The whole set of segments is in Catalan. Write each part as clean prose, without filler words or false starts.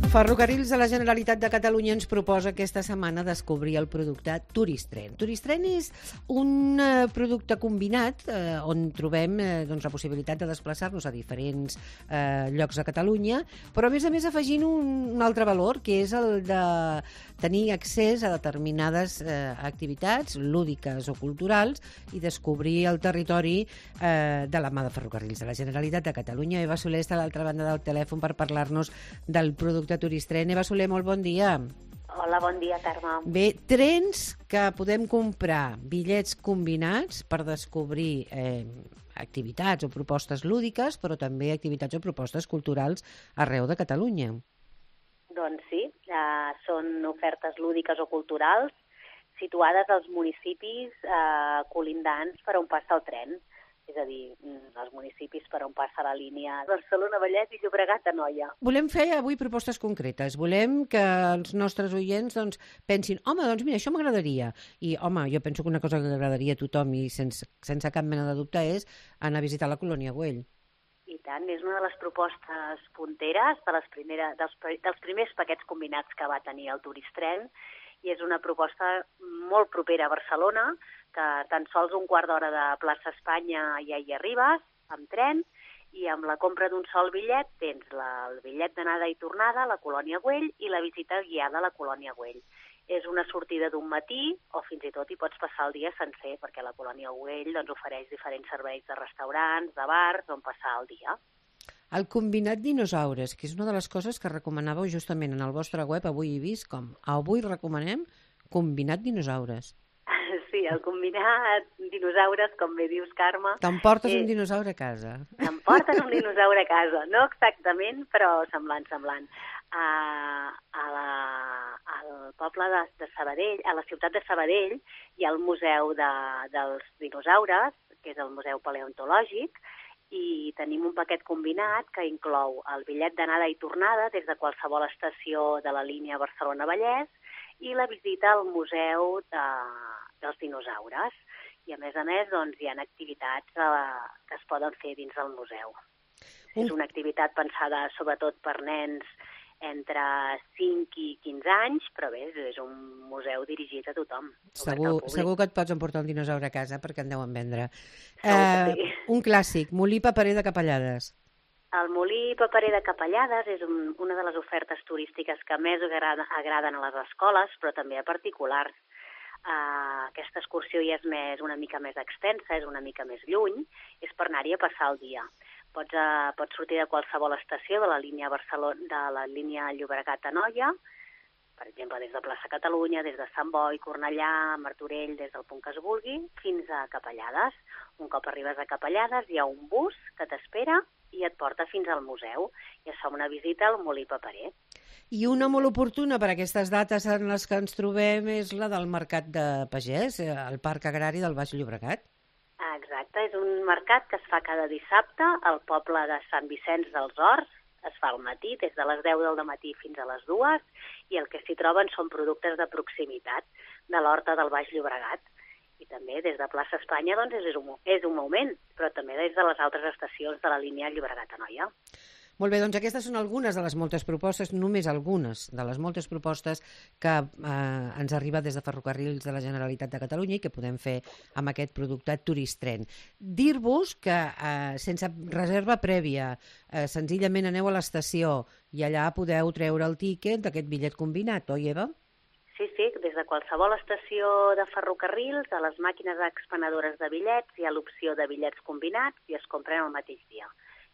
Ferrocarrils de la Generalitat de Catalunya ens proposa aquesta setmana descobrir el producte Turistren. Turistren és un producte combinat on trobem la possibilitat de desplaçar-nos a diferents llocs de Catalunya, però a més afegint un altre valor, que és el de tenir accés a determinades activitats lúdiques o culturals i descobrir el territori de la mà de Ferrocarrils de la Generalitat de Catalunya. Eva Soler està a l'altra banda del telèfon per parlar-nos del producte Turistren. Eva Soler, molt bon dia. Hola, bon dia, Carme. Bé, trens que podem comprar, bitllets combinats per descobrir activitats o propostes lúdiques, però també activitats o propostes culturals arreu de Catalunya. Doncs sí, són ofertes lúdiques o culturals situades als municipis colindants per on passa el tren. És a dir, els municipis per on passa la línia Barcelona, Vallès i Llobregat-Anoia. Volem fer avui propostes concretes. Volem que els nostres oients pensin, home, doncs mira, això m'agradaria. I, home, jo penso que una cosa que agradaria a tothom i sense cap mena de dubte és anar a visitar la Colònia Güell. I tant, és una de les propostes punteres dels primers paquets combinats que va tenir el Turistren, i és una proposta molt propera a Barcelona, que tan sols un quart d'hora de plaça Espanya ja hi arribes, amb tren, i amb la compra d'un sol bitllet tens el bitllet d'anada i tornada a la Colònia Güell i la visita guiada a la Colònia Güell. És una sortida d'un matí, o fins i tot hi pots passar el dia sencer, perquè la Colònia Güell ofereix diferents serveis de restaurants, de bars, on passar el dia. El combinat dinosaures, que és una de les coses que recomanàveu justament en el vostre web, avui he vist com avui recomanem combinat dinosaures. Sí, el combinat dinosaures, com bé dius, Carme... T'emportes un dinosaure a casa. T'emportes un dinosaure a casa, no exactament, però semblant. Al poble de Sabadell, a la ciutat de Sabadell, hi ha el Museu dels Dinosaures, que és el Museu Paleontològic, i tenim un paquet combinat que inclou el bitllet d'anada i tornada des de qualsevol estació de la línia Barcelona-Vallès i la visita al Museu dels Dinosaures. I, a més, hi ha activitats que es poden fer dins del museu. És una activitat pensada sobretot per nens entre 5 i 15 anys, però bé, és un museu dirigit a tothom. Segur que et pots emportar un dinosaure a casa perquè en deuen vendre. Sí. Un clàssic, Molí Paperer de Capellades. El Molí Paperer de Capellades és una de les ofertes turístiques que més agraden a les escoles, però també a particulars. Aquesta excursió ja és una mica més extensa, és una mica més lluny, és per anar-hi a passar el dia. Pots sortir de qualsevol estació de la línia Llobregat-Anoia, per exemple, des de plaça Catalunya, des de Sant Boi, Cornellà, Martorell, des del punt que es vulgui, fins a Capellades. Un cop arribes a Capellades hi ha un bus que t'espera i et porta fins al museu i es fa una visita al Molí Paperer. I una molt oportuna per aquestes dates en les que ens trobem és la del Mercat de Pagès, al Parc Agrari del Baix Llobregat. Exacte, és un mercat que es fa cada dissabte al poble de Sant Vicenç dels Horts. Es fa al matí, des de les 10 del matí fins a les 2, i el que s'hi troben són productes de proximitat de l'Horta del Baix Llobregat. I també des de plaça Espanya és un moment, però també des de les altres estacions de la línia Llobregat-Anoia. Molt bé, doncs aquestes són algunes de les moltes propostes, només algunes de les moltes propostes que ens arriba des de Ferrocarrils de la Generalitat de Catalunya i que podem fer amb aquest producte Turistren. Dir-vos que sense reserva prèvia, senzillament aneu a l'estació i allà podeu treure el tíquet d'aquest bitllet combinat, oi, Eva? Sí, des de qualsevol estació de ferrocarrils, a les màquines expenedores de bitllets hi ha l'opció de bitllets combinats i es compren el mateix dia,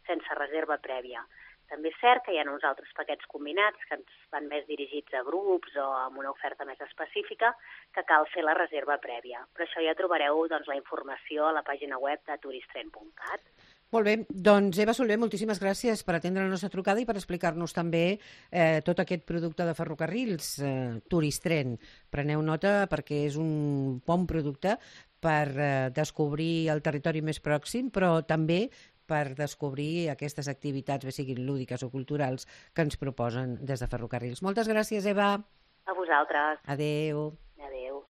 sense reserva prèvia. També és cert que hi ha uns altres paquets combinats que ens van més dirigits a grups o amb una oferta més específica que cal fer la reserva prèvia. Per això ja trobareu la informació a la pàgina web de turistren.cat. Molt bé, doncs Eva Soler, moltíssimes gràcies per atendre la nostra trucada i per explicar-nos també tot aquest producte de ferrocarrils, Turistren. Preneu nota perquè és un bon producte per descobrir el territori més pròxim, però també per descobrir aquestes activitats, bé siguin lúdiques o culturals, que ens proposen des de Ferrocarrils. Moltes gràcies, Eva. A vosaltres. Adéu. Adéu.